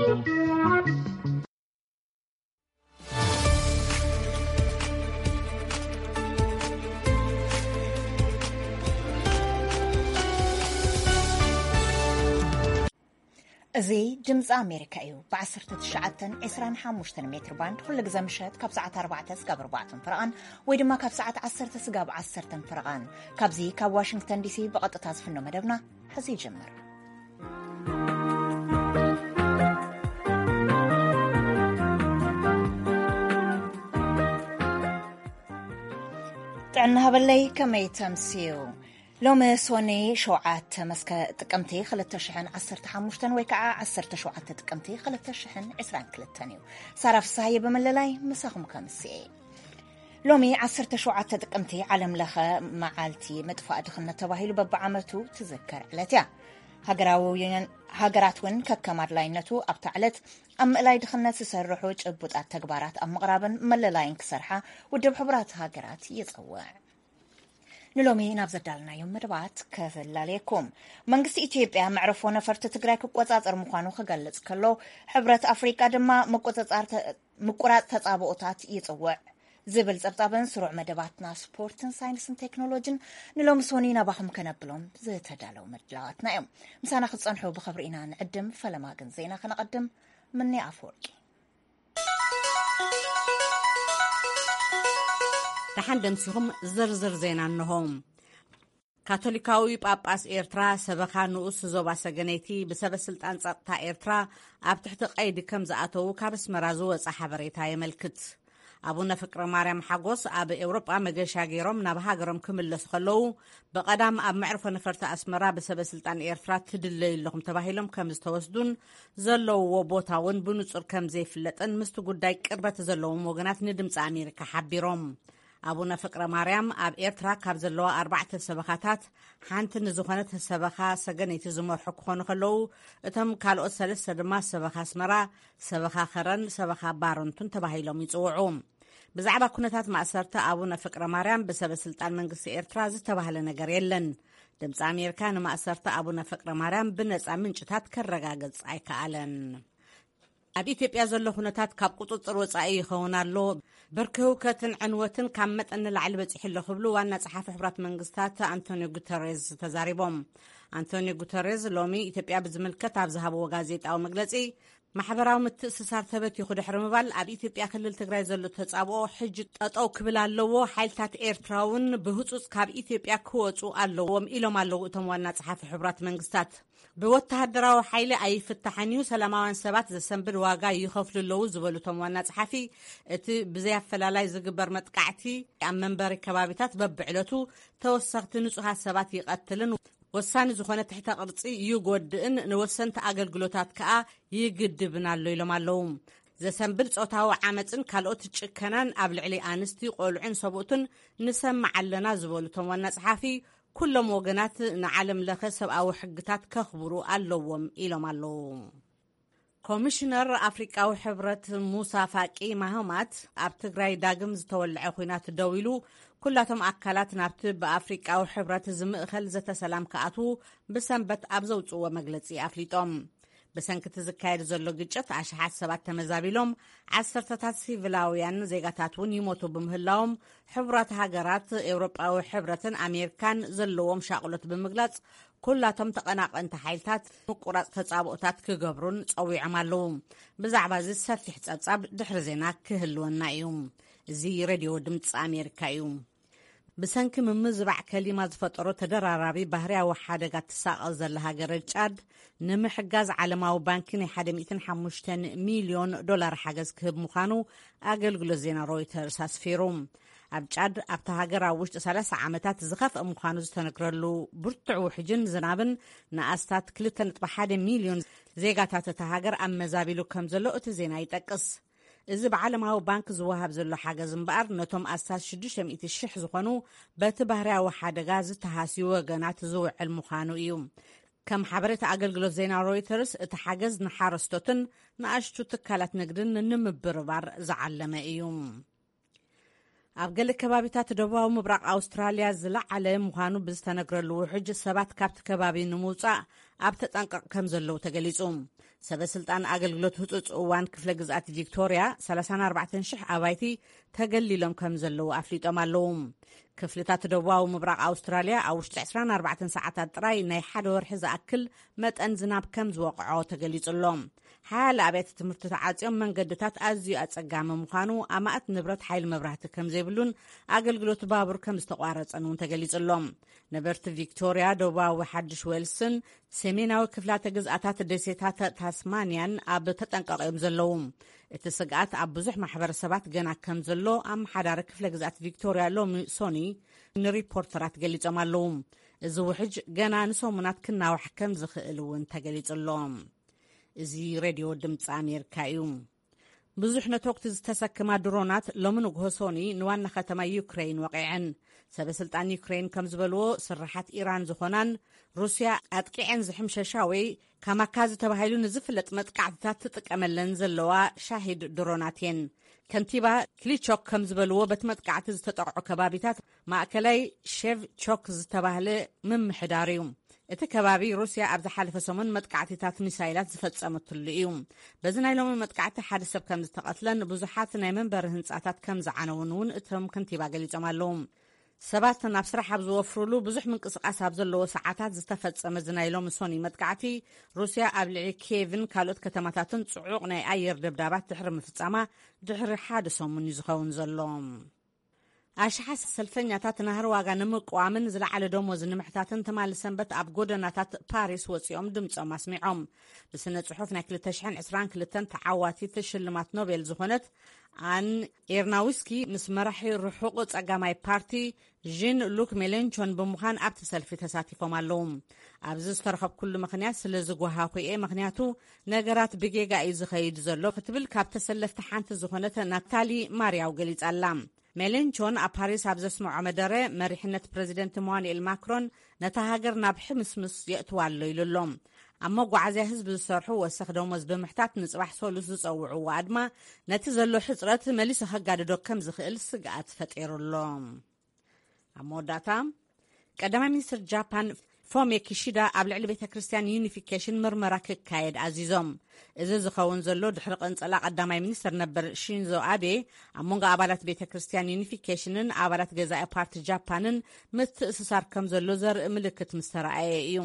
እዚ ድምፂ ኣሜሪካ እዩ። ብ19፣ 25 ሜትር ባንድ ኩሉ ግዜ ምሸት ካብ ሰዓት ኣርባዕተ ስጋብ ኣርባዕተ ፍረቓን ወይ ድማ ካብ ሰዓት ዓሰርተ ስጋብ ዓሰርተ ፍረቓን ካብዚ ካብ ዋሽንግተን ዲሲ ብቐጥታ ዝፍኖ መደብና ሕዚ ይጅምር። ጥዕና ሃበለይ፣ ከመይ ተምስዩ? ሎሚ ሶኒ ሸውዓተ መስከ ጥቅምቲ ክልተ ሽሕን ዓሰርተ ሓሙሽተን ወይ ከዓ ዓሰርተ ሸውዓተ ጥቅምቲ ክልተ ሽሕን ዕስራን ክልተን እዩ። ሳራ ፍሳሃየ ብምልላይ ምሳኹም ከምስኤ። ሎሚ ዓሰርተ ሸውዓተ ጥቅምቲ ዓለም ለኸ መዓልቲ ምጥፋእ ድኽነት ተባሂሉ በብዓመቱ ትዝከር ዕለት እያ። ሃገራዊ ሃገራት እውን ከከም ኣድላይነቱ ኣብታ ዕለት ኣብ ምእላይ ድኽነት ዝሰርሑ ጭቡጣት ተግባራት ኣብ ምቕራብን መለላይን ክሰርሓ ውድብ ሕቡራት ሃገራት ይጸውዕ። ንሎሚ ናብ ዘዳልናዮም መደባት ከፈላለየኩም። መንግስቲ ኢትዮጵያ መዕረፎ ነፈርቲ ትግራይ ክቆጻጸር ምዃኑ ክገልጽ ከሎ፣ ሕብረት ኣፍሪቃ ድማ ምቁጽጻር ተ-፣ ምቁራጽ ተጻብኦታት ይጽውዕ ዝብል ጸብጻብን ስሩዕ መደባትና ስፖርትን ሳይንስን ቴክኖሎጂን ንሎሚ ሶኒ ናባኹም ከነብሎም ዝተዳለዉ መድላዋትና እዮም። ምሳና ክትጸንሑ ብኽብሪ ኢና ንዕድም። ፈለማ ግን ዜና ከነቐድም። ምኒ ኣፈወርቂ። ደሓን ደምሲኹም። ዝርዝር ዜና እንሆ። ካቶሊካዊ ጳጳስ ኤርትራ ሰበኻ ንኡስ ዞባ ሰገነይቲ ብሰበ ስልጣን ጸጥታ ኤርትራ ኣብ ትሕቲ ቀይዲ ከም ዝኣተዉ ካብ ኣስመራ ዝወጸ ሓበሬታ የመልክት። ኣቡነ ፍቅረ ማርያም ሓጎስ ኣብ ኤውሮጳ መገሻ ገይሮም ናብ ሃገሮም ክምለሱ ከለዉ፣ ብቐዳም ኣብ መዕርፎ ነፈርቲ ኣስመራ ብሰበ ስልጣን ኤርትራ ትድለዩ ኣለኹም ተባሂሎም ከም ዝተወስዱን ዘለውዎ ቦታ እውን ብንጹር ከም ዘይፍለጥን ምስቲ ጉዳይ ቅርበት ዘለዎም ወገናት ንድምፂ ኣሜሪካ ሓቢሮም። ኣቡነ ፍቅረ ማርያም ኣብ ኤርትራ ካብ ዘለዋ ኣርባዕተ ሰበኻታት ሓንቲ ንዝኾነት ሰበኻ ሰገነይቲ ዝመርሑ ክኾኑ ከለዉ፣ እቶም ካልኦት ሰለስተ ድማ ሰበኻ ኣስመራ፣ ሰበኻ ከረን ሰበኻ ባረንቱን ተባሂሎም ይጽውዑ። ብዛዕባ ኩነታት ማእሰርቲ ኣቡነ ፍቅረ ማርያም ብሰበ ስልጣን መንግስቲ ኤርትራ ዝተባህለ ነገር የለን። ድምፂ ኣሜሪካ ንማእሰርቲ ኣቡነ ፍቅረ ማርያም ብነፃ ምንጭታት ከረጋግጽ ኣይከኣለን። ኣብ ኢትዮጵያ ዘሎ ኩነታት ካብ ቁጽጽር ወጻኢ ይኸውን ኣሎ። ብርኪ ህውከትን ዕንወትን ካብ መጠን ንላዕሊ በጺሑ ኣሎ ክብሉ ዋና ጸሓፊ ሕቡራት መንግስታት ኣንቶኒዮ ጉተሬዝ ተዛሪቦም። ኣንቶኒዮ ጉተሬዝ ሎሚ ኢትዮጵያ ብዝምልከት ኣብ ዝሃብዎ ጋዜጣዊ መግለጺ፣ ማሕበራዊ ምትእስሳር ተበቲኹ ድሕሪ ምባል፣ ኣብ ኢትዮጵያ ክልል ትግራይ ዘሎ ተጻብኦ ሕጂ ጠጠው ክብል ኣለዎ፣ ሓይልታት ኤርትራ እውን ብህጹጽ ካብ ኢትዮጵያ ክወጹ ኣለዎም ኢሎም ኣለዉ እቶም ዋና ጸሓፊ ሕቡራት መንግስታት። ብወተሃደራዊ ሓይሊ ኣይፍታሕን እዩ፣ ሰላማውያን ሰባት ዘሰንብድ ዋጋ ይኸፍሉ ኣለዉ ዝበሉ እቶም ዋና ጸሓፊ፣ እቲ ብዘይ ኣፈላላይ ዝግበር መጥቃዕቲ ኣብ መንበሪ ከባቢታት በብዕለቱ ተወሰኽቲ ንጹሃት ሰባት ይቐትልን ወሳኒ ዝኾነ ትሕተ ቅርጺ ይጎድእን ንወሰንቲ ኣገልግሎታት ከኣ ይግድብን ኣሎ ኢሎም ኣለዉ። ዘሰንብድ ጾታዊ ዓመጽን ካልኦት ጭከናን ኣብ ልዕሊ ኣንስቲ፣ ቆልዑን ሰብኡትን ንሰምዕ ኣለና ዝበሉ እቶም ዋና ጸሓፊ፣ ኩሎም ወገናት ንዓለም ለኸ ሰብኣዊ ሕግታት ከኽብሩ ኣለዎም ኢሎም ኣለዉ። ኮሚሽነር ኣፍሪቃዊ ሕብረት ሙሳ ፋቂ ማህማት፣ ኣብ ትግራይ ዳግም ዝተወልዐ ኲናት ደው ኢሉ፣ ኩላቶም ኣካላት ናብቲ ብኣፍሪቃዊ ሕብረት ዝምእኸል ዘተ ሰላም ክኣትዉ ብሰንበት ኣብ ዘውፅዎ መግለፂ ኣፍሊጦም። ብሰንኪ እቲ ዝካየድ ዘሎ ግጭት ኣሽሓት ሰባት ተመዛቢሎም፣ ዓሰርተታት ሲቪላውያን ዜጋታት እውን ይሞቱ ብምህላዎም፣ ሕቡራት ሃገራት፣ ኤውሮጳዊ ሕብረትን ኣሜሪካን ዘለዎም ሻቕሎት ብምግላጽ፣ ኩላቶም ተቐናቐንቲ ሓይልታት ምቁራጽ ተጻብኦታት ክገብሩን ጸዊዖም ኣለዉ። ብዛዕባ እዚ ሰፊሕ ጸብጻብ ድሕሪ ዜና ክህልወና እዩ። እዚ ሬድዮ ድምጺ ኣሜሪካ እዩ። ብሰንኪ ምምዝባዕ ከሊማ ዝፈጠሮ ተደራራቢ ባህርያዊ ሓደጋ ትሳቐ ዘላ ሃገረ ጫድ፣ ንምሕጋዝ ዓለማዊ ባንኪ ናይ ሓደ ሚእትን ሓሙሽተን ሚልዮን ዶላር ሓገዝ ክህብ ምዃኑ ኣገልግሎት ዜና ሮይተርስ ኣስፊሩ። ኣብ ጫድ፣ ኣብታ ሃገር ኣብ ውሽጢ ሰላሳ ዓመታት ዝኸፍአ ምዃኑ ዝተነግረሉ ብርቱዕ ውሕጅን ዝናብን ንኣስታት ክልተ ነጥቢ ሓደ ሚልዮን ዜጋታት እታ ሃገር ኣመዛቢሉ ከም ዘሎ እቲ ዜና ይጠቅስ። እዚ ብዓለማዊ ባንክ ዝወሃብ ዘሎ ሓገዝ እምበኣር፣ ነቶም ኣስታት ሽዱሽተ ሚእቲ ሽሕ ዝኾኑ በቲ ባህርያዊ ሓደጋ ዝተሃስዩ ወገናት ዝውዕል ምዃኑ እዩ። ከም ሓበሬታ ኣገልግሎት ዜና ሮይተርስ፣ እቲ ሓገዝ ንሓረስቶትን ንኣሽቱ ትካላት ንግድን ንምብርባር ዝዓለመ እዩ። ኣብ ገለ ከባቢታት ደቡባዊ ምብራቕ ኣውስትራልያ ዝለዓለ ምዃኑ ብዝተነግረሉ ውሕጅ፣ ሰባት ካብቲ ከባቢ ንምውጻእ ኣብ ተጠንቀቕ ከም ዘለዉ ተገሊጹ። ሰበ ስልጣን ኣገልግሎት ህጹጽ እዋን ክፍለ ግዝኣት ቪክቶርያ ሰላሳን ኣርባዕተን ሽሕ ኣባይቲ ተገሊሎም ከም ዘለዉ ኣፍሊጦም ኣለዉ። ክፍልታት ደቡባዊ ምብራቕ ኣውስትራልያ ኣብ ውሽጢ ዕስራን ኣርባዕተን ሰዓታት ጥራይ ናይ ሓደ ወርሒ ዝኣክል መጠን ዝናብ ከም ዝወቕዖ ተገሊጹ ኣሎ። ሓያለ ኣብያተ ትምህርቲ ተዓጽዮም፣ መንገድታት ኣዝዩ ኣጸጋሚ ምዃኑ፣ ኣማእት ንብረት ሓይሊ መብራህቲ ከም ዘይብሉን ኣገልግሎት ባቡር ከም ዝተቋረጸን እውን ተገሊጹ ኣሎ። ነበርቲ ቪክቶርያ፣ ደቡባዊ ሓድሽ ዌልስን ሰሜናዊ ክፍላተ ግዝኣታት ደሴታት ታስማንያን ኣብ ተጠንቀቕ እዮም ዘለዉ። እቲ ስግኣት ኣብ ብዙሕ ማሕበረሰባት ገና ከም ዘሎ ኣመሓዳሪ ክፍለ ግዝኣት ቪክቶርያ ሎሚ ሶኒ ንሪፖርተራት ገሊጾም ኣለዉ። እዚ ውሕጅ ገና ንሰሙናት ክናዋሕ ከም ዝኽእል እውን ተገሊጹ ኣሎ። እዚ ሬድዮ ድምፂ ኣሜሪካ እዩ። ብዙሕ ነተኩቲ ዝተሰክማ ድሮናት ሎሚ ንግሆ ሶኒ ንዋና ከተማ ዩክሬን ወቒዐን። ሰበ ስልጣን ዩክሬን ከም ዝበልዎ፣ ስራሓት ኢራን ዝኾናን ሩስያ ኣጥቂዐን ዝሕምሸሻ ወይ ካማካዚ ተባሂሉ ንዝፍለጥ መጥቃዕትታት ትጥቀመለን ዘለዋ ሻሂድ ድሮናት እየን። ከንቲባ ክሊቾክ ከም ዝበልዎ፣ በቲ መጥቃዕቲ ዝተጠቕዑ ከባቢታት ማእከላይ ሼቭ ቾክ ዝተባህለ ምምሕዳር እዩ። እቲ ከባቢ ሩስያ ኣብ ዝሓለፈ ሰሙን መጥቃዕቲታት ሚሳይላት ዝፈጸመትሉ እዩ። በዚ ናይ ሎሚ መጥቃዕቲ ሓደ ሰብ ከም ዝተቐትለን ብዙሓት ናይ መንበሪ ህንጻታት ከም ዝዓነውን እውን እቶም ከንቲባ ገሊጾም ኣለዉ። ሰባት ናብ ስራሕ ኣብ ዝወፍሩሉ ብዙሕ ምንቅስቓስ ኣብ ዘለዎ ሰዓታት ዝተፈጸመ እዚ ናይ ሎሚ ሶኒ መጥቃዕቲ፣ ሩስያ ኣብ ልዕሊ ኪየቭን ካልኦት ከተማታትን ጽዑቕ ናይ ኣየር ደብዳባት ድሕሪ ምፍጻማ ድሕሪ ሓደ ሰሙን እዩ ዝኸውን ዘሎ። ኣሽሓት ሰልፈኛታት ናህሪ ዋጋ ንምቅዋምን ዝለዓለ ደሞዝ ንምሕታትን ትማሊ ሰንበት ኣብ ጎደናታት ፓሪስ ወጺኦም ድምጾም ኣስሚዖም። ብስነ ጽሑፍ ናይ ክልተ ሽሕን ዕስራን ክልተን ተዓዋቲት ሽልማት ኖቤል ዝኾነት ኣን ኤርናውስኪ ምስ መራሒ ርሑቕ ጸጋማይ ፓርቲ ዥን ሉክ ሜሌንቾን ብምዃን ኣብቲ ሰልፊ ተሳቲፎም ኣለዉ። ኣብዚ ዝተረኸብኩሉ ምኽንያት ስለ ዝጓሃኹ እየ፣ ምኽንያቱ ነገራት ብጌጋ እዩ ዝኸይድ ዘሎ ክትብል ካብ ተሰለፍቲ ሓንቲ ዝኾነት ናታሊ ማርያው ገሊጻ ኣላ። ሜሌንቾን ኣብ ፓሪስ ኣብ ዘስምዖ መደረ፣ መሪሕነት ፕረዚደንት ኢማኑኤል ማክሮን ነታ ሃገር ናብ ሕምስምስ የእትዋ ኣሎ ኢሉ ኣሎ። ኣብ መጓዓዝያ ህዝቢ ዝሰርሑ ወሰኽ ደሞዝ ብምሕታት ንጽባሕ ሰሉስ ዝጸውዕዎ ኣድማ ነቲ ዘሎ ሕጽረት መሊሱ ከጋድዶ ከም ዝኽእል ስግኣት ፈጢሩ ኣሎ። ኣብ መወዳእታ፣ ቀዳማይ ሚኒስትር ጃፓን ፎሚዮ ኪሺዳ ኣብ ልዕሊ ቤተ ክርስቲያን ዩኒፊኬሽን ምርመራ ክካየድ ኣዚዞም። እዚ ዝኸውን ዘሎ ድሕሪ ቅንጸላ ቀዳማይ ሚኒስትር ነበር ሺንዞ ኣቤ ኣብ መንጎ ኣባላት ቤተ ክርስቲያን ዩኒፊኬሽንን ኣባላት ገዛኢ ፓርቲ ጃፓንን ምትእስሳር ከም ዘሎ ዘርኢ ምልክት ምስ ተረኣየ እዩ።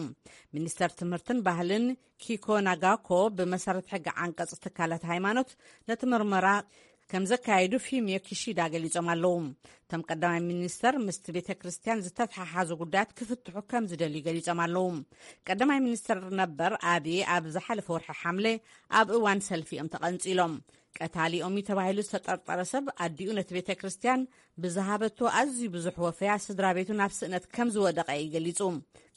ሚኒስተር ትምህርትን ባህልን ኪኮ ናጋኮ፣ ብመሰረት ሕጊ ዓንቀጽ ትካላት ሃይማኖት፣ ነቲ ምርመራ ከም ዘካየዱ ፊሚዮ ኪሺዳ ገሊጾም ኣለዉ። እቶም ቀዳማይ ሚኒስተር ምስቲ ቤተ ክርስቲያን ዝተተሓሓዙ ጉዳያት ክፍትሑ ከም ዝደልዩ ገሊጾም ኣለዉ። ቀዳማይ ሚኒስተር ነበር ኣቢ ኣብ ዝሓለፈ ወርሒ ሓምለ ኣብ እዋን ሰልፊ እዮም ተቐንጺሎም። ቀታሊኦም እዩ ተባሂሉ ዝተጠርጠረ ሰብ ኣዲኡ ነቲ ቤተ ክርስቲያን ብዝሃበቶ ኣዝዩ ብዙሕ ወፈያ ስድራ ቤቱ ናብ ስእነት ከም ዝወደቐ እዩ ገሊጹ።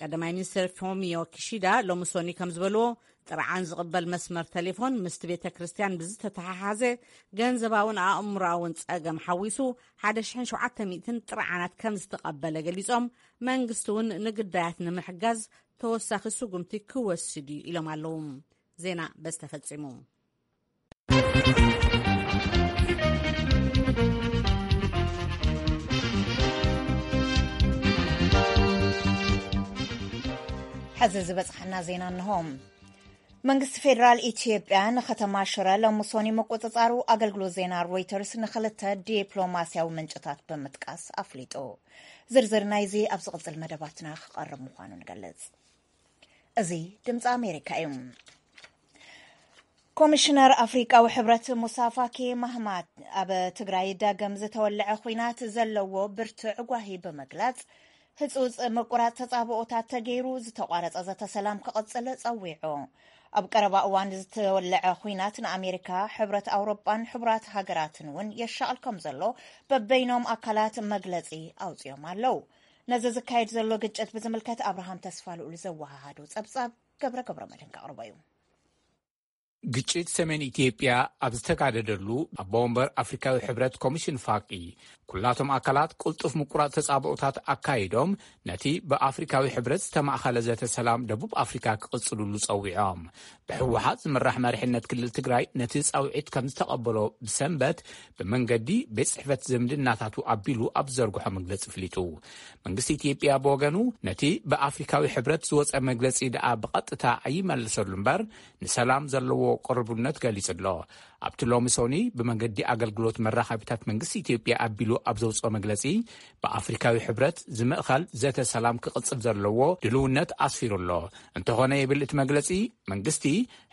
ቀዳማይ ሚኒስተር ፎሚዮ ኪሺዳ ሎሚ ሶኒ ከም ዝበልዎ፣ ጥርዓን ዝቕበል መስመር ቴሌፎን ምስቲ ቤተ ክርስቲያን ብዝተተሓሓዘ ገንዘባውን ኣእምሮኣውን ጸገም ሓዊሱ ሓደ ሽሕን ሸውዓተ ሚእትን ጥርዓናት ከም ዝተቐበለ ገሊጾም፣ መንግስቲ እውን ንግዳያት ንምሕጋዝ ተወሳኺ ስጉምቲ ክወስድ እዩ ኢሎም ኣለዉ። ዜና በዚ ተፈጺሙ። ሕዚ ዝበጽሓና ዜና እንሆ። መንግስቲ ፌደራል ኢትዮጵያ ንከተማ ሽረ ሎሚ ሶኒ ምቁጽጻሩ ኣገልግሎት ዜና ሮይተርስ ንኽልተ ዲፕሎማስያዊ ምንጭታት ብምጥቃስ ኣፍሊጡ። ዝርዝር ናይዚ ኣብ ዝቕጽል መደባትና ክቐርብ ምዃኑ ንገልጽ። እዚ ድምፂ ኣሜሪካ እዩ። ኮሚሽነር ኣፍሪቃዊ ሕብረት ሙሳ ፋኪ ማህማት ኣብ ትግራይ ዳግም ዝተወለዐ ኹናት ዘለዎ ብርቱዕ ጓሂ ብምግላጽ፣ ህጹጽ ምቁራጽ ተጻብኦታት ተገይሩ ዝተቋረጸ ዘተ ሰላም ክቕጽል ጸዊዑ። ኣብ ቀረባ እዋን ዝተወለዐ ኹናት ንኣሜሪካ፣ ሕብረት ኣውሮጳን ሕቡራት ሃገራትን እውን የሻቕል ከም ዘሎ በበይኖም ኣካላት መግለጺ ኣውጺኦም ኣለዉ። ነዚ ዝካየድ ዘሎ ግጭት ብዝምልከት ኣብርሃም ተስፋ ልኡል ዘወሃሃዶ ጸብጻብ ገብረ ገብረ መድህን ከቕርቦ እዩ። ግጭት ሰሜን ኢትዮጵያ ኣብ ዝተጋደደሉ፣ ኣቦ ወንበር ኣፍሪካዊ ሕብረት ኮሚሽን ፋቂ፣ ኩላቶም ኣካላት ቅልጡፍ ምቁራጽ ተጻብኦታት ኣካይዶም፣ ነቲ ብኣፍሪካዊ ሕብረት ዝተማእኸለ ዘተ ሰላም ደቡብ ኣፍሪካ ክቕጽልሉ ጸዊዖም። ብህወሓት ዝምራሕ መሪሕነት ክልል ትግራይ ነቲ ጻውዒት ከም ዝተቐበሎ ብሰንበት ብመንገዲ ቤት ጽሕፈት ዝምድናታቱ ኣቢሉ ኣብ ዘርግሖ መግለጺ ፍሊጡ። መንግስቲ ኢትዮጵያ ብወገኑ፣ ነቲ ብኣፍሪካዊ ሕብረት ዝወጸ መግለጺ ደኣ ብቐጥታ ኣይመልሰሉ እምበር፣ ንሰላም ዘለዎ ቅርቡነት ገሊጹ ኣሎ። ኣብቲ ሎሚ ሶኒ ብመንገዲ ኣገልግሎት መራኸቢታት መንግስቲ ኢትዮጵያ ኣቢሉ ኣብ ዘውጽኦ መግለጺ፣ ብኣፍሪካዊ ሕብረት ዝምእኸል ዘተ ሰላም ክቕጽል ዘለዎ ድልውነት ኣስፊሩ ኣሎ። እንተኾነ፣ ይብል እቲ መግለጺ፣ መንግስቲ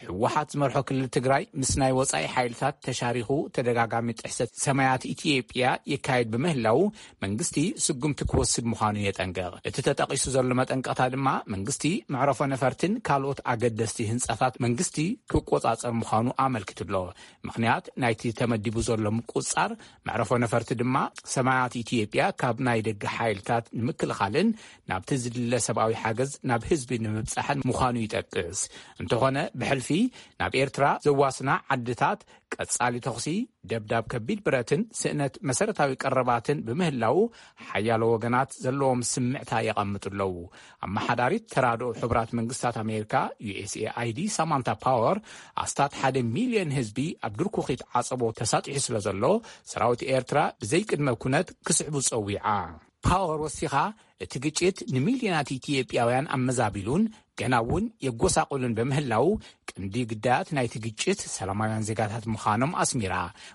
ህወሓት ዝመርሖ ክልል ትግራይ ምስ ናይ ወጻኢ ሓይልታት ተሻሪኹ ተደጋጋሚ ጥሕሰት ሰማያት ኢትዮጵያ የካይድ ብምህላው፣ መንግስቲ ስጉምቲ ክወስድ ምዃኑ የጠንቅቕ። እቲ ተጠቒሱ ዘሎ መጠንቀቕታ ድማ፣ መንግስቲ መዕረፎ ነፈርትን ካልኦት ኣገደስቲ ህንጻታት መንግስቲ ክቆጻጸር ምዃኑ ኣመልኪቱ ኣሎ። ምኽንያት ናይቲ ተመዲቡ ዘሎ ምቁጽጻር መዕረፎ ነፈርቲ ድማ፣ ሰማያት ኢትዮጵያ ካብ ናይ ደገ ሓይልታት ንምክልኻልን ናብቲ ዝድለ ሰብኣዊ ሓገዝ ናብ ህዝቢ ንምብጻሕን ምዃኑ ይጠቅስ። እንተኾነ፣ ብሕልፊ ናብ ኤርትራ ዘዋስና ዓድታት ቀጻሊ ተኹሲ፣ ደብዳብ ከቢድ ብረትን ስእነት መሰረታዊ ቀረባትን ብምህላው፣ ሓያሎ ወገናት ዘለዎም ስምዕታ የቐምጡ ኣለዉ። ኣመሓዳሪት ተራድኦ ሕቡራት መንግስታት ኣሜሪካ፣ ዩ ኤስ ኤ ኣይ ዲ፣ ሳማንታ ፓወር፣ ኣስታት ሓደ ሚልዮን ህዝቢ ኣብ ድርኩኺት ዓጸቦ ተሳጢሑ ስለ ዘሎ፣ ሰራዊት ኤርትራ ብዘይቅድመ ኩነት ክስዕቡ ጸዊዓ። ፓወር ወሲኻ፣ እቲ ግጭት ንሚልዮናት ኢትዮጵያውያን ኣመዛቢሉን ገና እውን የጎሳቑልን በምህላው፣ ቀንዲ ግዳያት ናይቲ ግጭት ሰላማውያን ዜጋታት ምዃኖም ኣስሚራ።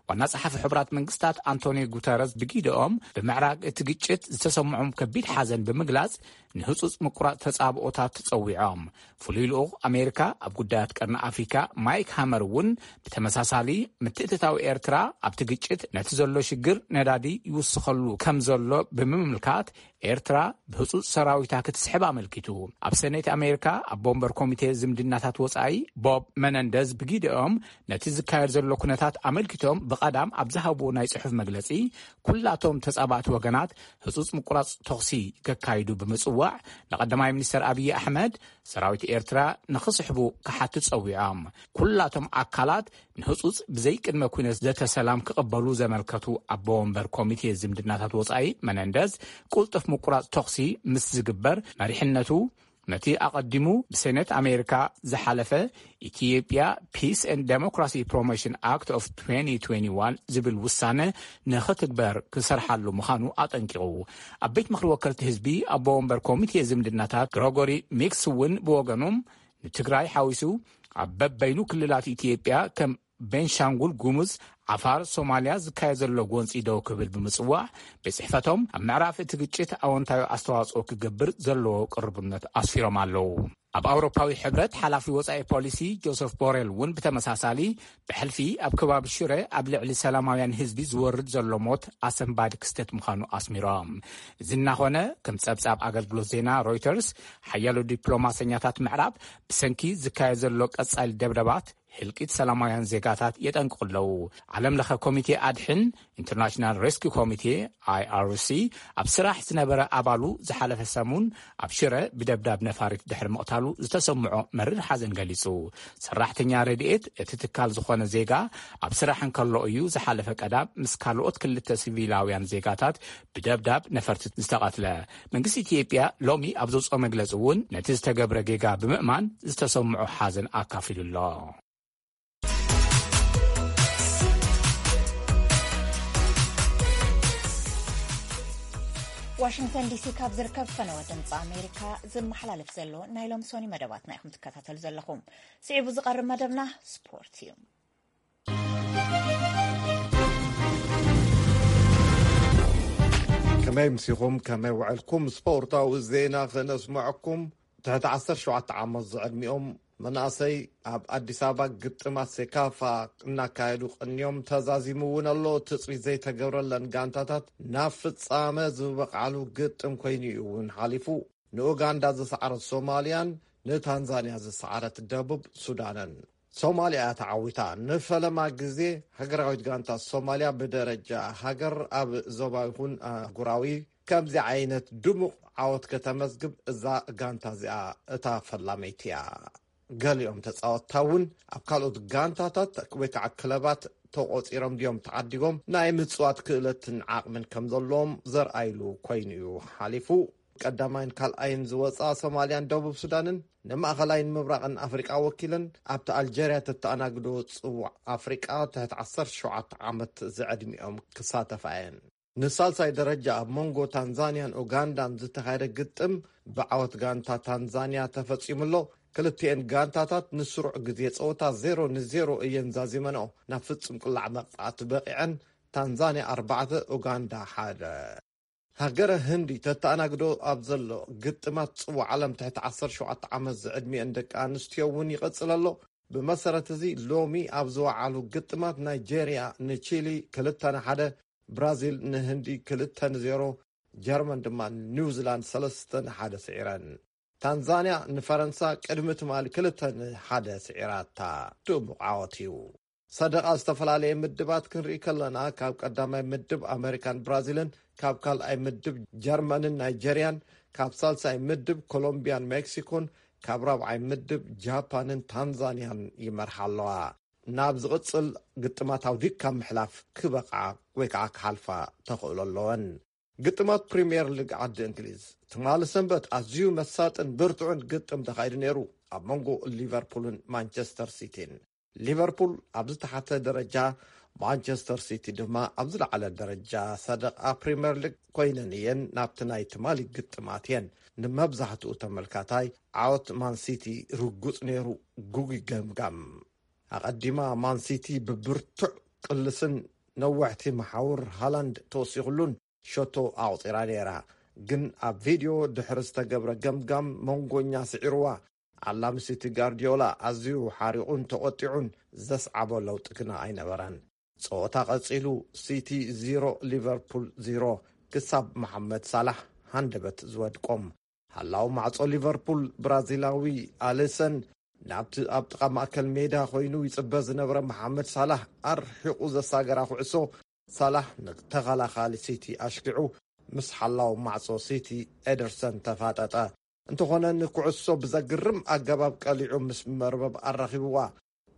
ዋና ጸሓፊ ሕቡራት መንግስታት ኣንቶኒዮ ጉተረዝ ብጊደኦም፣ ብምዕራግ እቲ ግጭት ዝተሰምዖም ከቢድ ሓዘን ብምግላጽ፣ ንህጹጽ ምቁራጽ ተጻብኦታት ተጸዊዖም። ፍሉይ ልኡኽ ኣሜሪካ ኣብ ጉዳያት ቀርኒ ኣፍሪካ ማይክ ሃመር እውን ብተመሳሳሊ፣ ምትእትታው ኤርትራ ኣብቲ ግጭት ነቲ ዘሎ ሽግር ነዳዲ ይውስኸሉ ከም ዘሎ ብምምልካት፣ ኤርትራ ብህጹጽ ሰራዊታ ክትስሕብ ኣመልኪቱ። ኣብ ሰኔት ኣሜሪካ ኣቦ ወንበር ኮሚቴ ዝምድናታት ወጻኢ ቦብ መነንደዝ ብጊደኦም፣ ነቲ ዝካየድ ዘሎ ኩነታት ኣመልኪቶም ብቐዳም ኣብ ዝሃብዎ ናይ ጽሑፍ መግለጺ፣ ኩላቶም ተጻባእቲ ወገናት ህጹጽ ምቁራጽ ተኹሲ ከካይዱ ብምጽዋዕ፣ ንቀዳማይ ሚኒስተር ኣብይ ኣሕመድ ሰራዊት ኤርትራ ንኽስሕቡ ክሓቱ ጸዊዖም። ኩላቶም ኣካላት ንህጹጽ ብዘይቅድመ ኩነት ዘተ ሰላም ክቕበሉ ዘመልከቱ ኣቦ ወንበር ኮሚቴ ዝምድናታት ወጻኢ መነንደዝ፣ ቅልጡፍ ምቁራጽ ተኹሲ ምስ ዝግበር፣ መሪሕነቱ ነቲ ኣቐዲሙ ብሴኔት ኣሜሪካ ዝሓለፈ ኢትዮጵያ ፒስ ኤንድ ዴሞክራሲ ፕሮሞሽን ኣክት ኦፍ ትዌንቲ ትዌንቲ ዋን ዝብል ውሳነ ንኽትግበር ክሰርሓሉ ምዃኑ ኣጠንቂቑ። ኣብ ቤት ምኽሪ ወከልቲ ህዝቢ ኣቦ ወንበር ኮሚቴ ዝምድናታት ግሮጎሪ ሚክስ እውን ብወገኑ፣ ንትግራይ ሓዊሱ ኣብ በበይኑ ክልላት ኢትዮጵያ ከም ቤንሻንጉል ጉሙዝ፣ ዓፋር፣ ሶማልያ ዝካየድ ዘሎ ጎንፂ ደው ክብል ብምፅዋዕ፣ ቤት ፅሕፈቶም ኣብ ምዕራፍ እቲ ግጭት ኣወንታዊ ኣስተዋፅኦ ክገብር ዘለዎ ቅርቡነት ኣስፊሮም ኣለዉ። ኣብ ኣውሮፓዊ ሕብረት ሓላፊ ወፃኢ ፖሊሲ ጆሰፍ ቦሬል እውን ብተመሳሳሊ፣ ብሕልፊ ኣብ ከባቢ ሽረ ኣብ ልዕሊ ሰላማውያን ህዝቢ ዝወርድ ዘሎ ሞት ኣሰንባዲ ክስተት ምዃኑ ኣስሚሮም። እዚ እናኾነ፣ ከም ጸብጻብ ኣገልግሎት ዜና ሮይተርስ፣ ሓያሎ ዲፕሎማሰኛታት ምዕራብ ብሰንኪ ዝካየድ ዘሎ ቀጻሊ ደብደባት ህልቂት ሰላማውያን ዜጋታት የጠንቅቑ ኣለዉ። ዓለም ለኸ ኮሚቴ ኣድሕን፣ ኢንተርናሽናል ሬስኪው ኮሚቴ፣ ኣይ ኣር ሲ፣ ኣብ ስራሕ ዝነበረ ኣባሉ ዝሓለፈ ሰሙን ኣብ ሽረ ብደብዳብ ነፋሪት ድሕሪ ምቕታሉ ዝተሰምዖ መሪር ሓዘን ገሊጹ። ሰራሕተኛ ረድኤት እቲ ትካል ዝኾነ ዜጋ ኣብ ስራሕ እንከሎ እዩ ዝሓለፈ ቀዳም ምስ ካልኦት ክልተ ሲቪላውያን ዜጋታት ብደብዳብ ነፈርቲ ዝተቐትለ። መንግስቲ ኢትዮጵያ ሎሚ ኣብ ዘውፅኦ መግለፂ እውን ነቲ ዝተገብረ ጌጋ ብምእማን ዝተሰምዖ ሓዘን ኣካፊሉ ኣሎ። ዋሽንግተን ዲሲ ካብ ዝርከብ ፈነወ ድምፂ ኣሜሪካ ዝመሓላለፍ ዘሎ ናይ ሎም ሶኒ መደባትና ኢኹም ትከታተሉ ዘለኹም። ስዒቡ ዝቐርብ መደብና ስፖርት እዩ። ከመይ ምሲኹም? ከመይ ውዕልኩም? ስፖርታዊ ዜና ክነስምዐኩም። ትሕቲ ዓሰርተ ሸውዓተ ዓመት ዝዕድሚኦም መናእሰይ ኣብ ኣዲስ ኣበባ ግጥማት ሴካፋ እናካየዱ ቀንዮም። ተዛዚሙ እውን ኣሎ። ትፅቢት ዘይተገብረለን ጋንታታት ናብ ፍፃመ ዝበቕዓሉ ግጥም ኮይኑ እዩ እውን ሓሊፉ። ንኡጋንዳ ዝሰዓረት ሶማልያን ንታንዛንያ ዝሰዓረት ደቡብ ሱዳንን። ሶማልያ እያ ተዓዊታ። ንፈለማ ግዜ ሃገራዊት ጋንታ ሶማልያ ብደረጃ ሃገር ኣብ ዞባዊ ይኹን ኣህጉራዊ ከምዚ ዓይነት ድሙቕ ዓወት ከተመዝግብ እዛ ጋንታ እዚኣ እታ ፈላመይቲ እያ። ገሊኦም ተጻወትታ እውን ኣብ ካልኦት ጋንታታት ወይ ከዓ ክለባት ተቖጺሮም ድዮም ተዓዲጎም ናይ ምጽዋት ክእለትን ዓቕምን ከም ዘለዎም ዘርኣይሉ ኮይኑ እዩ ሓሊፉ። ቀዳማይን ካልኣይን ዝወጻ ሶማልያን ደቡብ ሱዳንን ንማእኸላይን ምብራቕን ኣፍሪቃ ወኪለን ኣብቲ ኣልጀርያ ተተኣናግዶ ጽዋዕ ኣፍሪቃ ትሕቲ ዓሰርተ ሸውዓተ ዓመት ዝዕድሚኦም ክሳተፋ እየን። ንሳልሳይ ደረጃ ኣብ መንጎ ታንዛንያን ኡጋንዳን ዝተኻየደ ግጥም ብዓወት ጋንታ ታንዛንያ ተፈጺሙ ኣሎ። ክልቲኤን ጋንታታት ንስሩዕ ግዜ ጸወታ ዜሮ ንዜሮ እየን ዛዚመንኦ ናብ ፍጹም ቅላዕ መቕጻዕቲ በቒዐን። ታንዛንያ ኣርባዕተ፣ ኡጋንዳ ሓደ። ሃገረ ህንዲ ተተኣናግዶ ኣብ ዘሎ ግጥማት ጽዋዕ ዓለም ትሕቲ ዓሰርተ ሸውዓተ ዓመት ዝዕድሚአን ደቂ ኣንስትዮ እውን ይቐጽል ኣሎ። ብመሰረት እዚ ሎሚ ኣብ ዝወዓሉ ግጥማት ናይጄርያ ንቺሊ ክልተ ንሓደ፣ ብራዚል ንህንዲ ክልተ ንዜሮ፣ ጀርመን ድማ ንኒውዚላንድ ሰለስተ ንሓደ ስዒረን። ታንዛንያ ንፈረንሳ ቅድሚ ትማሊ ክልተ ንሓደ ስዒራታ። ድሙቕ ዓወት እዩ። ሰደቓ ዝተፈላለየ ምድባት ክንርኢ ከለና ካብ ቀዳማይ ምድብ ኣመሪካን ብራዚልን፣ ካብ ካልኣይ ምድብ ጀርመንን ናይጀርያን፣ ካብ ሳልሳይ ምድብ ኮሎምቢያን ሜክሲኮን፣ ካብ ራብዓይ ምድብ ጃፓንን ታንዛንያን ይመርሓ ኣለዋ። ናብ ዝቕጽል ግጥማት ኣውዲቅካ ምሕላፍ ክበቕዓ ወይ ከዓ ክሓልፋ ተኽእሎ ኣለወን። ግጥማት ፕሪምየር ሊግ ዓዲ እንግሊዝ ትማሊ ሰንበት ኣዝዩ መሳጥን ብርቱዕን ግጥም ተኻይዱ ነይሩ ኣብ መንጎ ሊቨርፑልን ማንቸስተር ሲቲን። ሊቨርፑል ኣብ ዝተሓተ ደረጃ፣ ማንቸስተር ሲቲ ድማ ኣብ ዝለዓለ ደረጃ ሰደቓ ፕሪምየር ሊግ ኮይነን እየን ናብቲ ናይ ትማሊ ግጥማት እየን። ንመብዛሕትኡ ተመልካታይ ዓወት ማን ሲቲ ርጉጽ ነይሩ። ጉጉይ ገምጋም። ኣቐዲማ ማን ሲቲ ብብርቱዕ ቅልስን ነዋሕቲ መሓውር ሃላንድ ተወሲኹሉን ሸቶ ኣቑጺራ ነይራ። ግን ኣብ ቪድዮ ድሕሪ ዝተገብረ ገምጋም መንጎኛ ስዒርዋ። ዓላሚ ሲቲ ጋርዲዮላ ኣዝዩ ሓሪቑን ተቖጢዑን ዘስዓቦ ለውጢ ግና ኣይነበረን። ጸወታ ቀጺሉ፣ ሲቲ ዜሮ ሊቨርፑል ዜሮ ክሳብ መሓመድ ሳላሕ ሃንደበት ዝወድቆም። ሓላው ማዕጾ ሊቨርፑል ብራዚላዊ ኣሊሰን ናብቲ ኣብ ጥቓ ማእከል ሜዳ ኮይኑ ይጽበ ዝነበረ መሓመድ ሳላሕ ኣርሒቑ ዘሳገራ ኩዕሶ፣ ሳላሕ ንተኸላኻሊ ሲቲ ኣሽኪዑ ምስ ሓላው ማዕጾ ሲቲ ኤደርሰን ተፋጠጠ። እንተኾነ ንኩዕሶ ብዘግርም ኣገባብ ቀሊዑ ምስ መርበብ ኣራኺብዋ።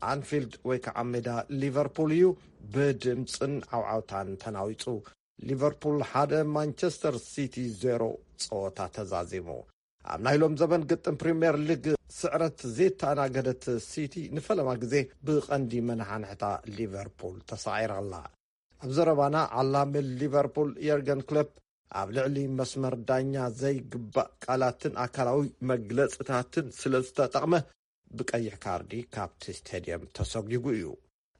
ኣንፊልድ ወይ ከዓ ሜዳ ሊቨርፑል እዩ ብድምፅን ዓውዓውታን ተናዊፁ። ሊቨርፑል ሓደ ማንቸስተር ሲቲ ዜሮ ፀወታ ተዛዚሙ። ኣብ ናይ ሎም ዘበን ግጥም ፕሪምየር ሊግ ስዕረት ዘይተኣናገደት ሲቲ ንፈለማ ግዜ ብቐንዲ መናሓንሕታ ሊቨርፑል ተሳዒራ ኣላ። ኣብ ዘረባና ዓላሚ ሊቨርፑል የርገን ክሎፕ ኣብ ልዕሊ መስመር ዳኛ ዘይግባእ ቃላትን ኣካላዊ መግለፅታትን ስለ ዝተጠቕመ ብቀይሕ ካርዲ ካብቲ ስቴድየም ተሰጒጉ እዩ።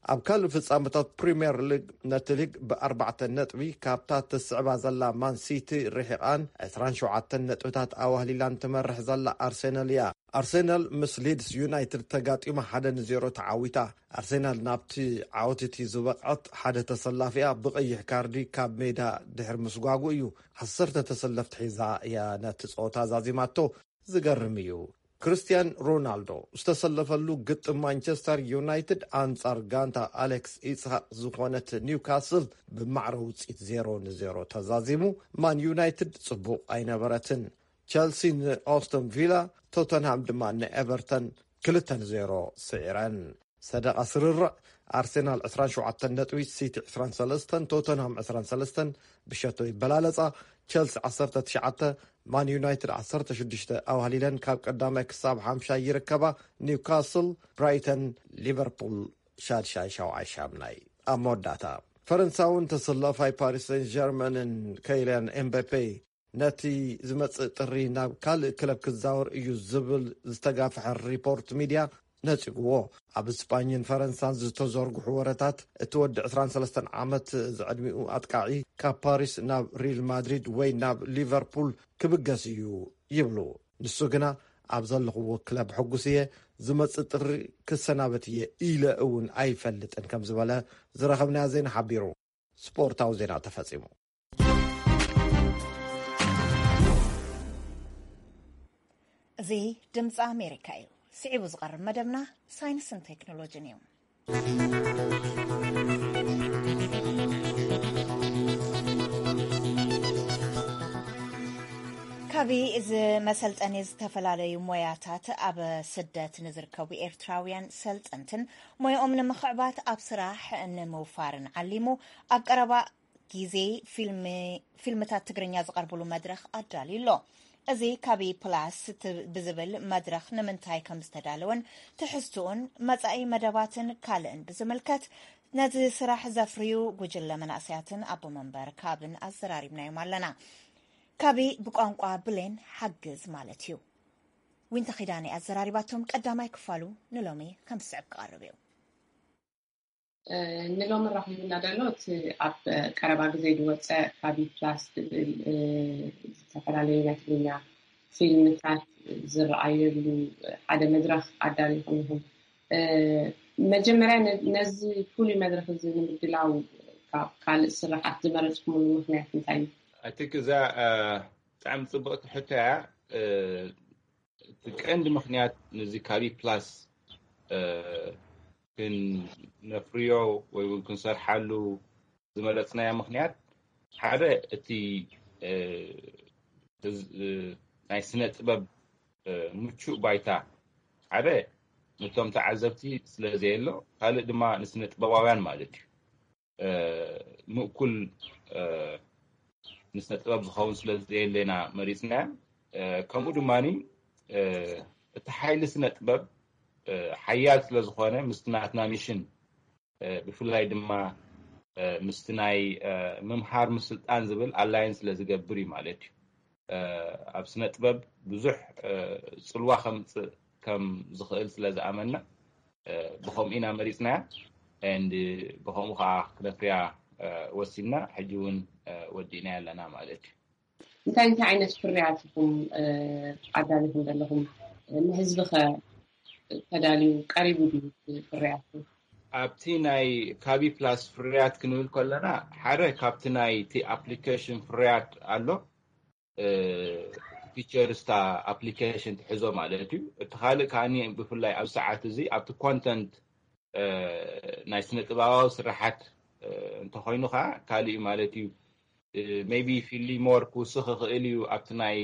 ኣብ ካልእ ፍጻመታት ፕሪምየር ሊግ ነቲ ሊግ ብኣርባዕተ ነጥቢ ካብታ ትስዕባ ዘላ ማን ሲቲ ርሒቓን ዕስራን ሸውዓተን ነጥብታት ኣዋህሊላን ትመርሕ ዘላ ኣርሰናል እያ። ኣርሰናል ምስ ሊድስ ዩናይትድ ተጋጢማ ሓደ ንዜሮ ተዓዊታ። ኣርሰናል ናብቲ ዓወት እቲ ዝበቕዐት ሓደ ተሰላፊኣ ብቐይሕ ካርዲ ካብ ሜዳ ድሕሪ ምስጓጉ እዩ። ዓሰርተ ተሰለፍቲ ሒዛ እያ ነቲ ጸወታ ዛዚማቶ። ዝገርም እዩ። ክርስቲያን ሮናልዶ ዝተሰለፈሉ ግጥም ማንቸስተር ዩናይትድ ኣንጻር ጋንታ ኣሌክስ ኢስሃቅ ዝኾነት ኒውካስል ብማዕረ ውጽኢት ዜሮ ንዜሮ ተዛዚሙ። ማን ዩናይትድ ጽቡቕ ኣይነበረትን። ቸልሲ ንኦስተን ቪላ፣ ቶተንሃም ድማ ንኤቨርተን ክልተ ንዜሮ ስዒረን። ሰደቓ ስርርዕ ኣርሴናል ዕስራን ሸውዓተን ነጥቢ፣ ሲቲ ዕስራን ሰለስተን፣ ቶተንሃም ዕስራን ሰለስተን ብሸቶ ይበላለጻ። ቸልሲ ዓሰርተ ትሽዓተ፣ ማን ዩናይትድ ዓሰርተ ሽዱሽተ ኣዋህሊለን ካብ ቀዳማይ ክሳብ ሓምሻይ ይርከባ። ኒውካስል፣ ብራይተን፣ ሊቨርፑል ሻድሻይ፣ ሻውዓይ፣ ሻምናይ። ኣብ መወዳእታ ፈረንሳውን ተሰላፋይ ፓሪስ ሴን ጀርመንን ከይልያን ኤምባፔ ነቲ ዝመጽእ ጥሪ ናብ ካልእ ክለብ ክዛወር እዩ ዝብል ዝተጋፍሐ ሪፖርት ሚድያ ነጺግዎ። ኣብ ስጳኝን ፈረንሳን ዝተዘርግሑ ወረታት እቲ ወዲ ዕስራን ሰለስተን ዓመት ዝዕድሚኡ ኣጥቃዒ ካብ ፓሪስ ናብ ሪል ማድሪድ ወይ ናብ ሊቨርፑል ክብገስ እዩ ይብሉ። ንሱ ግና ኣብ ዘለኽዎ ክለብ ሕጉስ እየ፣ ዝመጽእ ጥሪ ክሰናበት እየ ኢለ እውን ኣይፈልጥን ከም ዝበለ ዝረኸብናዮ ዜና ሓቢሩ። ስፖርታዊ ዜና ተፈጺሙ። እዚ ድምፂ ኣሜሪካ እዩ። ስዒቡ ዝቐርብ መደብና ሳይንስን ቴክኖሎጂን እዩ። ካቢ እዚ መሰልጠኒ ዝተፈላለዩ ሞያታት ኣብ ስደት ንዝርከቡ ኤርትራውያን ሰልጠንትን ሞያኦም ንምኽዕባት ኣብ ስራሕ ንምውፋርን ዓሊሙ ኣብ ቀረባ ግዜ ፊልምታት ትግርኛ ዝቐርብሉ መድረኽ ኣዳልዩ ኣሎ። እዚ ካቢ ፕላስ ብዝብል መድረኽ ንምንታይ ከም ዝተዳለወን ትሕዝትኡን መጻኢ መደባትን ካልእን ብዝምልከት ነዚ ስራሕ ዘፍርዩ ጉጅለ መናእሰያትን ኣቦ መንበር ካብን ኣዘራሪብናዮም ኣለና። ካቢ ብቋንቋ ብሌን ሓግዝ ማለት እዩ። ዊንታ ኺዳነ ኣዘራሪባቶም ቀዳማይ ክፋሉ ንሎሚ ከም ዝስዕብ ክቐርብ እዩ። ንሎሚ ራኺቡና ዘሎ እቲ ኣብ ቀረባ ግዜ ዝወፀ ካቢ ፕላስ ዝብል ዝተፈላለዩ ናይ ትግርኛ ፊልምታት ዝረኣየሉ ሓደ መድረኽ ኣዳሊኹም ኢኹም። መጀመርያ ነዚ ፍሉይ መድረኽ እዚ ንምድላው ካብ ካልእ ስራሓት ዝመረፅኩምሉ ምክንያት እንታይ እዩ? ኣይ ቲንክ እዛ ብጣዕሚ ፅብቕቲ ሕቶ እያ። እቲ ቀንዲ ምክንያት ነዚ ካቢ ፕላስ ክነፍርዮ ወይ እውን ክንሰርሓሉ ዝመረፅናዮ ምክንያት ሓደ እቲ ናይ ስነ ጥበብ ምቹእ ባይታ ሓደ ነቶም ተዓዘብቲ ስለ ዘየሎ፣ ካልእ ድማ ንስነ ጥበባውያን ማለት እዩ ምእኩል ንስነ ጥበብ ዝኸውን ስለ ዘየለና መሪፅና። ከምኡ ድማ እቲ ሓይሊ ስነ ጥበብ ሓያል ስለ ዝኾነ ምስቲ ናትና ሚሽን ብፍላይ ድማ ምስቲ ናይ ምምሃር ምስልጣን ዝብል ኣላይን ስለ ዝገብር እዩ ማለት እዩ። ኣብ ስነ ጥበብ ብዙሕ ፅልዋ ከምፅእ ከም ዝኽእል ስለ ዝኣመና ብኸምኡ ኢና መሪፅናያ። And ብኸምኡ ከዓ ክነፍርያ ወሲንና ሕጂ እውን ወዲእናያ ኣለና ማለት እዩ። እንታይ እንታይ ዓይነት ፍርያት ኢኹም ኣዳሊኹም ዘለኹም? ንህዝቢ ኸ ተዳልዩ ቀሪቡ ድዩ ፍርያት? ኣብቲ ናይ ካቢ ፕላስ ፍርያት ክንብል ከለና ሓደ ካብቲ ናይቲ ኣፕሊኬሽን ፍርያት ኣሎ። ፊቸርስ እታ ኣፕሊኬሽን ትሕዞ ማለት እዩ። እቲ ካልእ ከዓኒ ብፍላይ ኣብ ሰዓት እዚ ኣብቲ ኮንተንት ናይ ስነ ጥበባዊ ስራሓት እንተኮይኑ ከዓ ካልእ እዩ ማለት እዩ። ሜቢ ፊሊ ሞር ክውስኽ ይኽእል እዩ ኣብቲ ናይ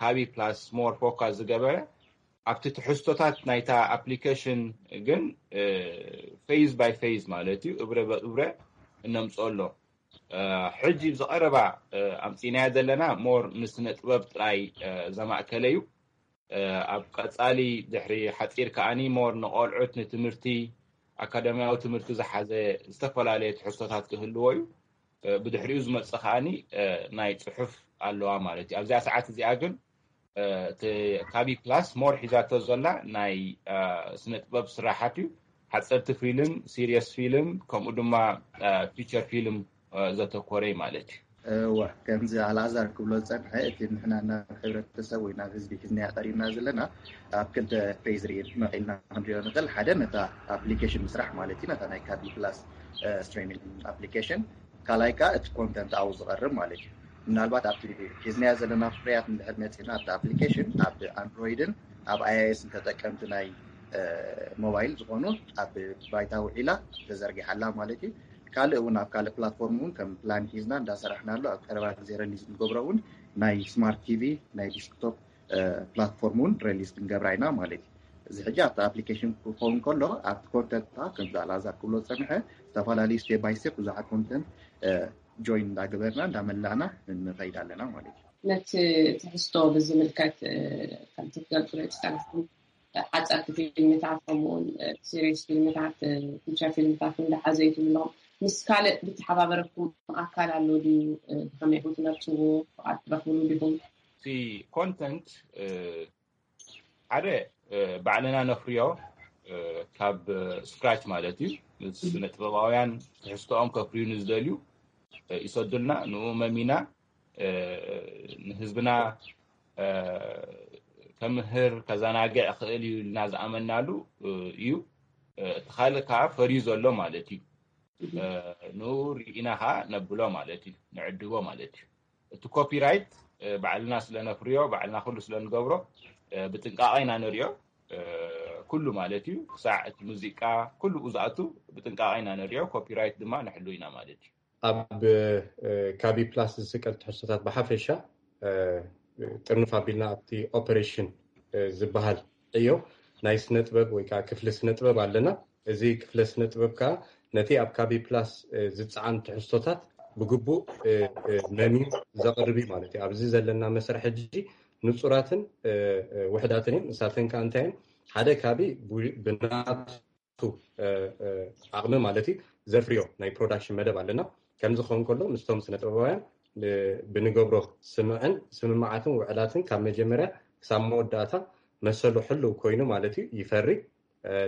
ካቢ ፕላስ ሞር ፎካስ ዝገበረ። ኣብቲ ትሕዝቶታት ናይታ ኣፕሊኬሽን ግን ፌዝ ባይ ፌዝ ማለት እዩ እብረ በእብረ እነምፅኦ ኣሎ። ሕጂ ብዝቐረባ ኣምፂናዮ ዘለና ሞር ንስነ ጥበብ ጥራይ ዘማእከለ እዩ። ኣብ ቀፃሊ ድሕሪ ሓፂር ከዓኒ ሞር ንቆልዑት ንትምህርቲ ኣካዳሚያዊ ትምህርቲ ዝሓዘ ዝተፈላለየ ትሕዝቶታት ክህልዎ እዩ። ብድሕሪኡ ዝመፅእ ከዓኒ ናይ ፅሑፍ ኣለዋ ማለት እዩ። ኣብዚኣ ሰዓት እዚኣ ግን እቲ ካቢ ፕላስ ሞር ሒዛቶ ዘላ ናይ ስነ ጥበብ ስራሓት እዩ። ሓፀርቲ ፊልም፣ ሲሪየስ ፊልም፣ ከምኡ ድማ ፊቸር ፊልም ዘተኮረ እዩ ማለት እዩ። እወ፣ ከምዚ ኣልኣዛር ክብሎ ዝፀንሐ፣ እቲ ንሕና ናብ ሕብረተሰብ ወይ ናብ ህዝቢ ሒዝናዮ ቀሪብና ዘለና ኣብ ክልተ ፌዝ ርኢ መቒልና ክንሪኦ ንኽእል። ሓደ ነታ ኣፕሊኬሽን ምስራሕ ማለት እዩ፣ ነታ ናይ ካቢ ፕላስ ስትሪሚንግ ኣፕሊኬሽን። ካልኣይ ከዓ እቲ ኮንተንት ኣብኡ ዝቐርብ ማለት እዩ። ምናልባት ኣብቲ ሒዝናዮ ዘለና ፍርያት እንድሕር መፂና ኣብቲ ኣፕሊኬሽን ኣብ ኣንድሮይድን ኣብ ኣይኣይኤስን ተጠቀምቲ ናይ ሞባይል ዝኾኑ ኣብ ባይታ ውዒላ ተዘርጊሓላ ማለት እዩ። ካልእ እውን ኣብ ካልእ ፕላትፎርም እውን ከም ፕላን ሒዝና እንዳሰራሕናሉ ኣብ ቀረባ ግዜ ረሊዝ ንገብሮ እውን ናይ ስማርት ቲቪ ናይ ዲስክቶፕ ፕላትፎርም እውን ረሊዝ ክንገብራ ኢና ማለት እዩ። እዚ ሕጂ ኣብቲ ኣፕሊኬሽን ክኸውን ከሎ ኣብቲ ኮንተንት ከምዚ ኣልኣዛር ክብሎ ዝፀንሐ ዝተፈላለዩ ስቴፕ ባይ ስቴፕ ብዙሓት ኮንተንት ጆይን እንዳገበርና እንዳመላእና ንኸይድ ኣለና ማለት እዩ። ነቲ ትሕዝቶ ብዝምልከት ከምቲ ትገልፅሉ ዝፀናሕኩም ሓፀርቲ ፊልምታት ከምኡውን ሲሪየስ ፊልምታት ፊቸር ፊልምታት እውን ዝሓዘ እዩ ትብሉ ኣለኹም። ምስ ካልእ ዝተሓባበረኩም ኣካል ኣሎ ድዩ? ብኸመይ ኢኹም ትመርፅዎ? ፍቓድ ትረኽብሉ ዲኹም? እቲ ኮንተንት ሓደ ባዕልና ነፍርዮ ካብ ስክራች ማለት እዩ። ስነ ጥበባውያን ትሕዝቶኦም ከፍርዩ ንዝደልዩ ይሰዱልና፣ ንኡ መሚና ንህዝብና ከምህር ከዘናግዕ ክእል እዩ ኢልና ዝኣመናሉ እዩ። እቲ ካልእ ከዓ ፈርዩ ዘሎ ማለት እዩ። ንኡ ርኢና ከዓ ነብሎ ማለት እዩ፣ ንዕድቦ ማለት እዩ። እቲ ኮፒራይት ባዕልና ስለነፍርዮ፣ ባዕልና ኩሉ ስለንገብሮ ብጥንቃቐ ኢና ንሪኦ። ኩሉ ማለት እዩ፣ ክሳዕ እቲ ሙዚቃ ኩሉ ዝኣቱ ብጥንቃቐ ኢና ንሪኦ። ኮፒራይት ድማ ንሕሉ ኢና ማለት እዩ። ኣብ ካቢ ፕላስ ዝስቀል ትሕዝቶታት ብሓፈሻ ጥርንፍ ኣቢልና ኣብቲ ኦፐሬሽን ዝበሃል ዕዮ ናይ ስነ ጥበብ ወይ ከዓ ክፍሊ ስነ ጥበብ ኣለና። እዚ ክፍለ ስነ ጥበብ ከዓ ነቲ ኣብ ካቢ ፕላስ ዝፀዓን ትሕዝቶታት ብግቡእ መምዩ ዘቕርብ እዩ ማለት እዩ። ኣብዚ ዘለና መስርሕ ሕጂ ንፁራትን ውሕዳትን እዮም። ንሳተን ከዓ እንታይ እዮም? ሓደ ካቢ ብናቱ ዓቕሚ ማለት እዩ ዘፍርዮ ናይ ፕሮዳክሽን መደብ ኣለና። ከምዚ ክኸውን ከሎ ምስቶም ስነ ጥበባውያን ብንገብሮ ስምዕን ስምምዓትን ውዕላትን ካብ መጀመርያ ክሳብ መወዳእታ መሰሉ ሕልው ኮይኑ ማለት እዩ ይፈሪ።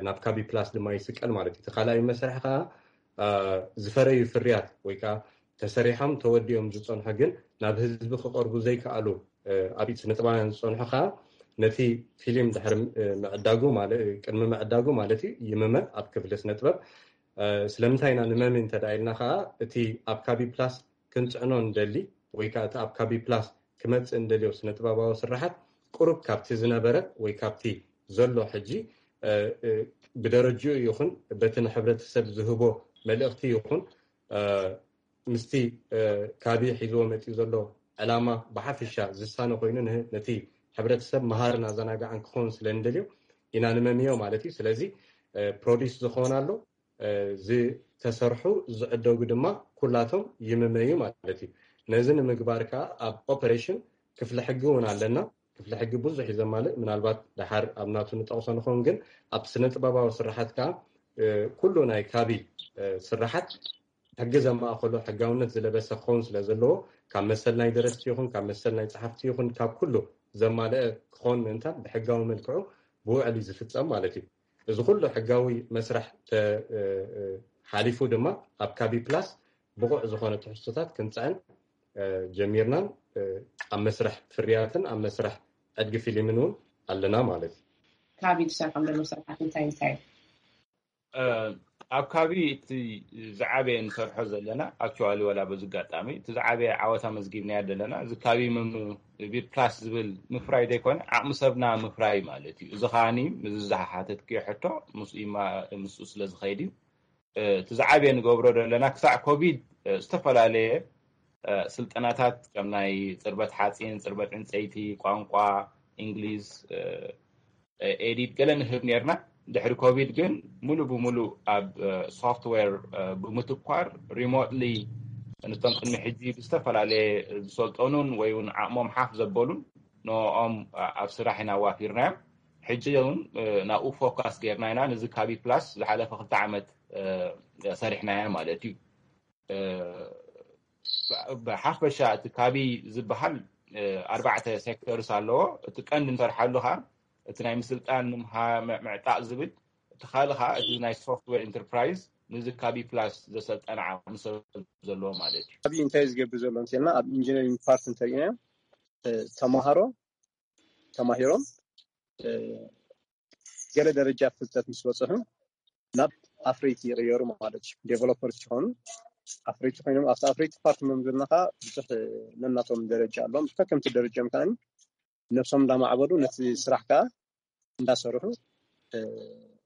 ናብ ካቢ ፕላስ ድማ ይስቀል ማለት እዩ። እቲ ካልኣይ መስርሕ ከዓ ዝፈረዩ ፍርያት ወይ ከዓ ተሰሪሖም ተወዲኦም ዝፀንሑ ግን ናብ ህዝቢ ክቐርቡ ዘይከኣሉ ኣብ ኢድ ስነ ጥበባውያን ዝፀንሑ ከዓ ነቲ ፊልም ድሕሪ ምዕዳጉ ቅድሚ ምዕዳጉ ማለት እዩ ይምመ ኣብ ክፍሊ ስነ ጥበብ። ስለምንታይ ኢና ንመሚ እንተዳ ኢልና ከዓ እቲ ኣብ ካቢ ፕላስ ክንፅዕኖ እንደሊ ወይ ከዓ እቲ ኣብ ካቢ ፕላስ ክመፅእ እንደልዮ ስነ ጥበባዊ ስራሓት ቁሩብ ካብቲ ዝነበረ ወይ ካብቲ ዘሎ ሕጂ ብደረጅኡ ይኹን በቲ ንሕብረተሰብ ዝህቦ መልእኽቲ ይኹን ምስቲ ካቢ ሒዝዎ መፂኡ ዘሎ ዕላማ ብሓፈሻ ዝሳነ ኮይኑ ነቲ ሕብረተሰብ መሃርን ኣዘናጋዕን ክኸውን ስለ እንደልዮ ኢና ንመምዮ ማለት እዩ። ስለዚ ፕሮዲስ ዝኸውን ኣሎ፣ ዝተሰርሑ ዝዕደጉ ድማ ኩላቶም ይምመዩ ማለት እዩ። ነዚ ንምግባር ከዓ ኣብ ኦፐሬሽን ክፍሊ ሕጊ እውን ኣለና። ክፍሊ ሕጊ ብዙሕ እዩ ዘማልእ። ምናልባት ደሓር ኣብ ናቱ ንጠቕሶ ንኸውን፣ ግን ኣብ ስነ ጥበባዊ ስራሓት ከዓ ኩሉ ናይ ካቢ ስራሓት ሕጊ ዘማእኸሎ ሕጋውነት ዝለበሰ ክኸውን ስለ ዘለዎ ካብ መሰል ናይ ደረስቲ ይኹን ካብ መሰል ናይ ጸሓፍቲ ይኹን ካብ ኩሉ ዘማልአ ክኸውን ምእንታን ብሕጋዊ መልክዑ ብውዕል እዩ ዝፍጸም ማለት እዩ። እዚ ኩሉ ሕጋዊ መስርሕ ሓሊፉ ድማ ኣብ ካቢ ፕላስ ብቑዕ ዝኾነ ትሕዝቶታት ክንፅዕን ጀሚርናን ኣብ መስርሕ ፍርያትን ኣብ መስርሕ ዕድጊ ፊልምን እውን ኣለና ማለት እዩ። ካቢ ትሰርሖም ዘሎ ስራሓት እንታይ እንታይ? ኣብ ካቢ እቲ ዝዓበየ ንሰርሖ ዘለና ኣክቹዋሊ ዋላ በዚ ኣጋጣሚ እቲ ዝዓበየ ዓወት ኣመዝጊብናዮ ዘለና እዚ ካቢ ፕላስ ዝብል ምፍራይ ዘይኮነ ዓቕሚ ሰብና ምፍራይ ማለት እዩ። እዚ ከዓኒ ምዚ ዝሓተትክዮ ሕቶ ምስኡ ስለ ዝኸይድ እዩ። እቲ ዝዓበየ ንገብሮ ዘለና ክሳዕ ኮቪድ ዝተፈላለየ ስልጠናታት ከም ናይ ፅርበት ሓፂን፣ ፅርበት ዕንፀይቲ፣ ቋንቋ እንግሊዝ፣ ኤዲት ገለ ንህብ ነርና። ድሕሪ ኮቪድ ግን ሙሉእ ብሙሉእ ኣብ ሶፍትዌር ብምትኳር ሪሞትሊ ነቶም ቅድሚ ሕጂ ብዝተፈላለየ ዝሰልጠኑን ወይ እውን ዓቕሞም ሓፍ ዘበሉን ንኦም ኣብ ስራሕ ኢና ኣዋፊርናዮም። ሕጂ እውን ናብኡ ፎካስ ጌርና ኢና። ነዚ ካቢ ፕላስ ዝሓለፈ ክልተ ዓመት ሰሪሕናዮ ማለት እዩ። ብሓፈሻ እቲ ካቢ ዝበሃል ኣርባዕተ ሴክተርስ ኣለዎ። እቲ ቀንዲ ንሰርሓሉ ከዓ እቲ ናይ ምስልጣን ምምሃር ምዕጣቕ ዝብል፣ እቲ ካልእ ከዓ እቲ ናይ ሶፍትዌር ኢንተርፕራይዝ ነዚ ካቢ ፕላስ ዘሰልጠነ ዓቕሚ ሰብ ዘለዎ ማለት እዩ። ካቢ እንታይ ዝገብር ዘሎ እንተልና ኣብ ኢንጂነሪንግ ፓርት እንተሪእናዮ ተማሃሮ ተማሂሮም ገለ ደረጃ ፍልጠት ምስ በፅሑ ናብ ኣፍረይቲ ይቕየሩ ማለት እዩ። ዴቨሎፐር ሲኾኑ ኣፍረይቲ ኮይኖም ኣብቲ ኣፍረይቲ ፓርት መምዝርና ከዓ ብዙሕ ነናቶም ደረጃ ኣለዎም። ከከምቲ ደረጃም ከዓ ነብሶም እንዳማዕበሉ ነቲ ስራሕ ከዓ እንዳሰርሑ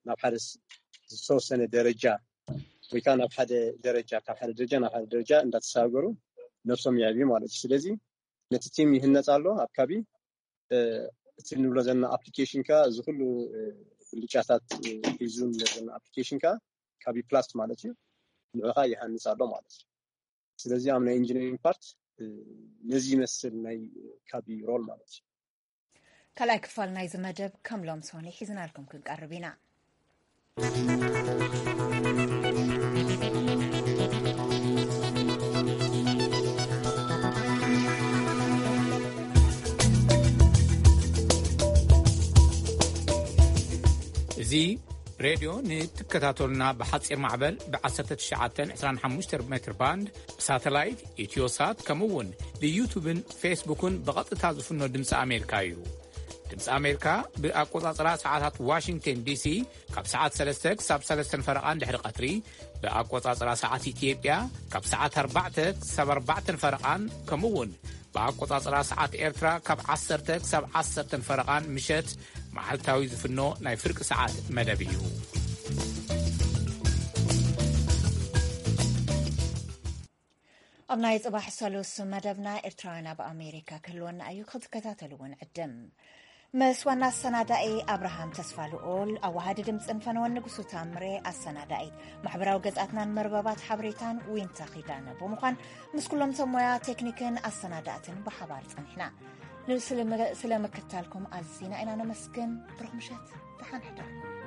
ናብ ሓደ ዝተወሰነ ደረጃ ወይ ከዓ ናብ ሓደ ደረጃ ካብ ሓደ ደረጃ ናብ ሓደ ደረጃ እንዳተሳገሩ ነብሶም ይዕብዩ ማለት እዩ። ስለዚ ነቲ ቲም ይህነፅ ኣሎ ኣብ ካቢ እቲ ንብሎ ዘለና ኣፕሊኬሽን ካ እዚ ኩሉ ብልጫታት ሒዙ ንብሎ ዘለና ኣፕሊኬሽን ካ ካቢ ፕላስ ማለት እዩ። ንዑኻ ይሃንፅ ኣሎ ማለት እዩ። ስለዚ ኣብ ናይ ኢንጂነሪንግ ፓርት ነዚ ይመስል ናይ ካቢ ሮል ማለት እዩ። ካልኣይ ክፋል ናይዚ መደብ ከም ሎም ሶኒ ሒዝናልኩም ክንቀርብ ኢና። እዚ ሬድዮ ንትከታተሉና ብሓፂር ማዕበል ብ1925 ሜትር ባንድ ብሳተላይት ኢትዮሳት ከምኡ እውን ብዩቱብን ፌስቡክን ብቐጥታ ዝፍኖ ድምፂ ኣሜሪካ እዩ። ድምፂ ኣሜሪካ ብኣቆፃፅራ ሰዓታት ዋሽንግተን ዲሲ ካብ ሰዓት ሰለስተ ክሳብ ሰለስተን ፈረቓን ድሕሪ ቀትሪ ብኣቆፃፅራ ሰዓት ኢትዮጵያ ካብ ሰዓት ኣርባዕተ ክሳብ ኣርባዕተን ፈረቓን ከምኡ እውን ብኣቆፃፅራ ሰዓት ኤርትራ ካብ ዓሰርተ ክሳብ ዓሰርተን ፈረቓን ምሸት መዓልታዊ ዝፍኖ ናይ ፍርቂ ሰዓት መደብ እዩ። ኣብ ናይ ጽባሕ ሰሉስ መደብና ኤርትራውያን ኣብ ኣሜሪካ ክህልወና እዩ፣ ክትከታተሉ እውን ዕድም። ምስ ዋና ኣሰናዳኢ ኣብርሃም ተስፋ ልኡል፣ ኣዋሃዲ ድምፅን ፈነወን ንጉሱ ታምሬ ኣሰናዳኢት ማሕበራዊ ገጻትናን መርበባት ሓበሬታን ዊንታ ኺዳነ ብምዃን ምስ ኩሎም ሰብ ሞያ ቴክኒክን ኣሰናዳእትን ብሓባር ጸኒሕና። ንስለ-፣ ስለ ምክትታልኩም ኣዚና ኢና ነመስግን። ብሩኽ ምሸት፣ ደሓን ሕደሩ።